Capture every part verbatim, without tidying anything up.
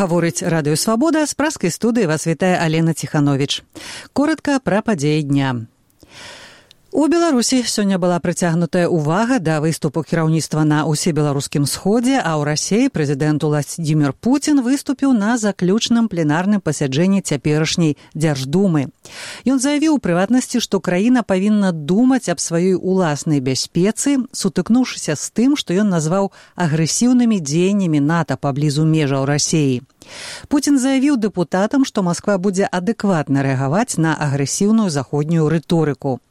Гаворыць Радыё Свабода, з праскай студыі вас вітае Алена Ціхановіч. Коротка пра падзеі дня. У Беларусі сёння была прыцягнутая ўвага да выступу кіраўніцтва на ўсебеларускім сходзе, а ў Расіі прэзідэнт Уладзімір Пуцін выступіў на заключным пленарным пасяджэнні цяперашняй Дзярждумы. Ён заявіў у прыватнасці, што краіна павінна думаць аб сваёй уласнай бяспецы, сутыкнуўшыся з тым, што ён назваў агрэсіўнымі дзеяннямі НАТО паблізу межаў Расіі. Пуцін заявіў дэпутатам, што Масква будзе адэкватна рэагаваць на агрэсіўную заходнюю рыторыку.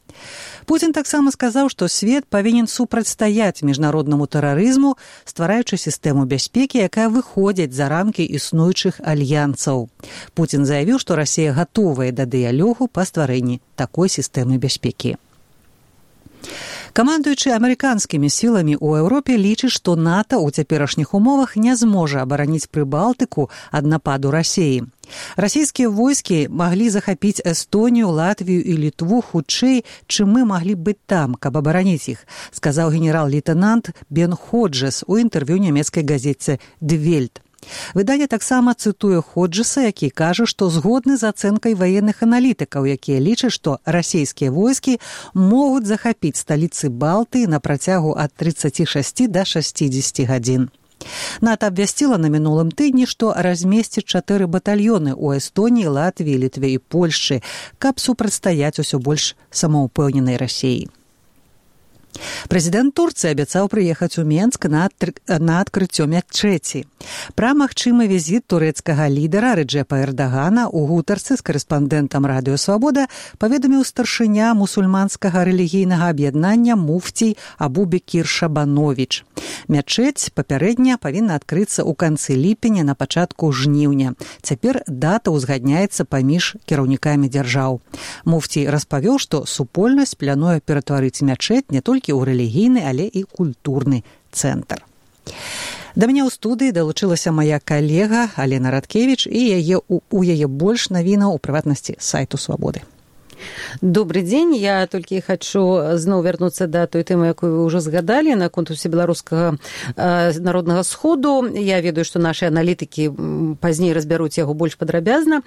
Пуцін таксама сказаў, што свет павінен супрацьстаяць міжнароднаму тэрарызму, ствараючы сістэму бяспекі, якая выходзіць за рамкі існуючых альянсаў. Пуцін заявіў, што Расія гатовая да дыялогу па стварэнні такой сістэмы бяспекі. Камандуючы амерыканскімі сіламі ў Еўропе лічыць, што НАТО ў цяперашніх умовах не зможа абараніць Прыбалтыку ад нападу Расіі. Расійскія войскі маглі захапіць Эстонію, Латвію і Літву хутчэй, чым мы маглі быць там, каб абараніць іх, сказаў генерал-лейтэнант Бен Ходжес у інтэрв'ю нямецкай газеце «Die Welt». Выданне таксама цытуе Ходжеса, які кажа, што згодны з ацэнкай ваенных аналітыкаў, якія лічаць, што расійскія войскі могуць захапіць сталіцы Балтыі на працягу ад трыццаці шасці да шасцідзесяці гадзін. НАТО абвясціла на мінулым тыдні, што размесціць чатыры батальёны ў Эстоніі, Латвіі, Літве і Польшчы, каб супрацьстаяць усё больш самаўпэўненай Расіі. Прэзідэнт Турцыі абяцаў прыехаць у Менск на, адкр... на адкрыццё мячэці. Пра магчымы візіт турэцкага лідара Рэджэпа Эрдагана ў гутарцы з карэспандэнтам Радыё Свабода паведаміў старшыня мусульманскага рэлігійнага аб'яднання муфцій Абу-Бекір Шабановіч. Мячэць папярэдня павінна адкрыцца ў канцы ліпеня на пачатку жніўня. Цяпер дата ўзгадняецца паміж кіраўнікамі дзяржаў. Муфцій распавёў, што супольнасць плануе ператварыць мячэць не толькі ў рэлігійны, але і культурны цэнтр. Да мяне ў студыі далучылася мая калега Алена Радкевіч і яе, у, у яе больш навінаў у прыватнасці сайту Свабоды. Добрый дзень, я толькі хачу зноў вярнуцца да той тэмы, якую вы ўжо згадалі наконт усебеларускага э, народнага сходу. Я ведаю, што нашы аналітыкі пазней разбяруць яго больш падрабязна.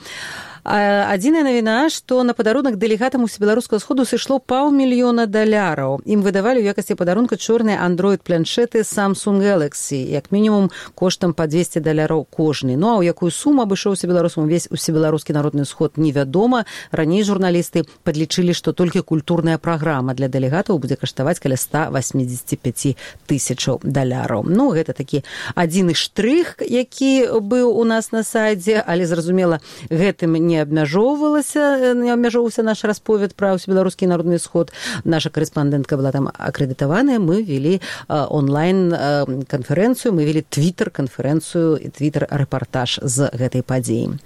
Адзіная навіна, што на падарунак дэлегатам усебеларускага сходу сышло паўмільёна даляраў. Ім выдавалі ў якасці падарунка чорныя Android-планшеты Samsung Galaxy, як мінімум коштам па двесце даляраў кожны. Ну а ў якую суму абышоўся беларусам увесь усебеларускі народны сход, невядома. Раней журналісты падлічылі, што толькі культурная праграма для дэлегатаў будзе каштаваць каля ста васьмідзесяці пяці тысячаў даляраў. Ну, гэта такі адзіны штрых, які быў у нас на сайце, але, зразумела, гэтым не абмяжоўвалася, не абмяжоўваўся наш расповед пра ўсебеларускі народны сход. Наша карэспандэнтка была там акрэдытаваная, мы вели онлайн-канферэнцыю, мы вели твітер-канферэнцыю і твітер-рэпартаж з гэтай падзеі.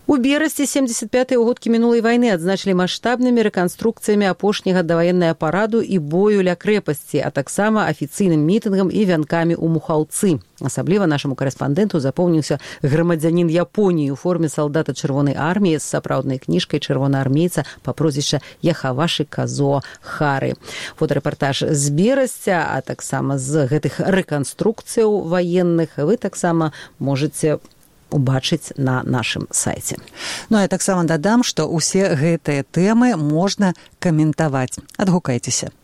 У берасці семдзесят пятыя ўгодкі мінулай вайны адзначылі маштабнымі рэканструкцыямі апошняга даваеннага параду і бою ля крэпасці, а таксама афіцыйным мітынгам і вянкамі ў Мухаўцы. Асабліва нашаму карэспандэнту запомніўся грамадзянін Японіі у форме салдата чырвонай арміі з сапраўднай кніжкай чырвонаармейца па прозвішча Яхаваші Казо Хары. Фотарэпартаж з берасця, а таксама з гэтых рэканструкцыяў ваенных вы таксама можаце убачыць на нашым сайце. Ну, я таксама дадам, што ўсе гэтыя тэмы можна каментаваць. Адгукайцеся.